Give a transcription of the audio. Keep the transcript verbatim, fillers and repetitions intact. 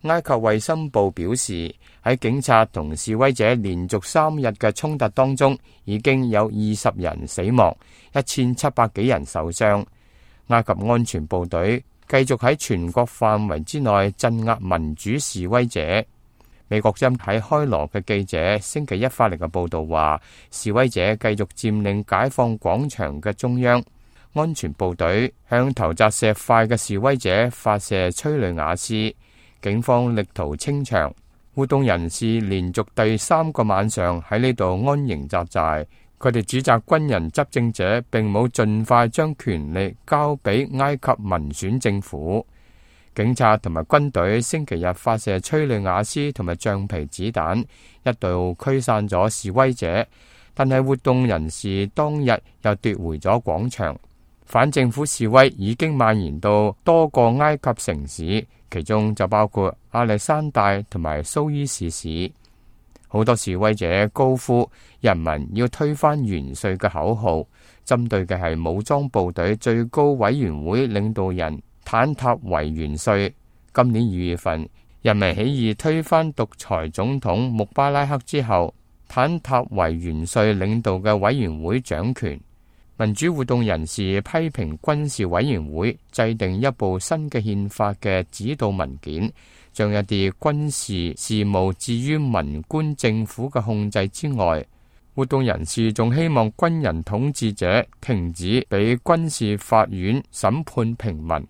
埃及衛生部表示，喺警察同示威者連續三日嘅衝突當中，已經有二十人死亡，一千七百幾人受傷。埃及安全部隊繼續喺全國範圍之內鎮壓民主示威者。美國針喺開羅嘅記者星期一發嚟嘅報道話，示威者繼續佔領解放廣場嘅中央，安全部隊向投擲石塊嘅示威者發射催淚瓦斯，警方力圖清場。活動人士連續第三個晚上喺呢度安營紮寨，佢哋指責軍人執政者並冇盡快將權力交俾埃及民選政府。警察同埋軍隊星期日發射催淚瓦斯同埋橡皮子彈，一度驅散咗示威者，但係活動人士當日又奪回咗廣場。反政府示威已經蔓延到多個埃及城市，其中就包括亞歷山大同埋蘇伊士市。好多示威者高呼人民要推翻元帥嘅口號，針對嘅係武裝部隊最高委員會領導人坦塔維元帥。今年二月份，人民起義推翻獨裁總統穆巴拉克之後，坦塔維元帥領導嘅委員會掌權。民主活動人士批評軍事委員會制定一部新嘅憲法嘅指導文件，將一啲軍事事務置於文官政府嘅控制之外。活動人士仲希望軍人統治者停止俾軍事法院審判平民。